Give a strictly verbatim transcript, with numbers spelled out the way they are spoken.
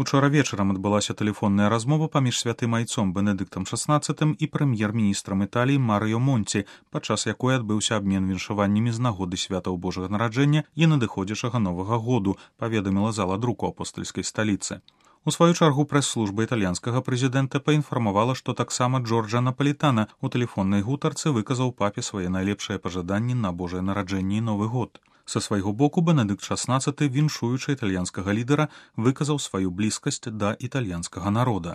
Учора вечарам адбылася тэлефонная размова паміж святым айцом Бенедыктам шаснаццатым і прэм'ер-міністрам Італіі Марыё Монці, падчас якой адбыўся абмен віншаваннямі з нагоды святаў Божага нараджэння і надыходзячага Новага году, паведаміла зала друку апостальскай сталіцы. У сваю чаргу прэс-служба італьянскага прэзідэнта паінфармавала, што таксама Джорджа Напалітана у тэлефоннай гутарцы выказаў папе свае найлепшыя пажаданні на Божае нараджэнне і Новы год. Са свайго боку Бенедыкт шаснаццаты, віншуючы італьянскага лідара, выказаў сваю блізкасць да італьянскага народа.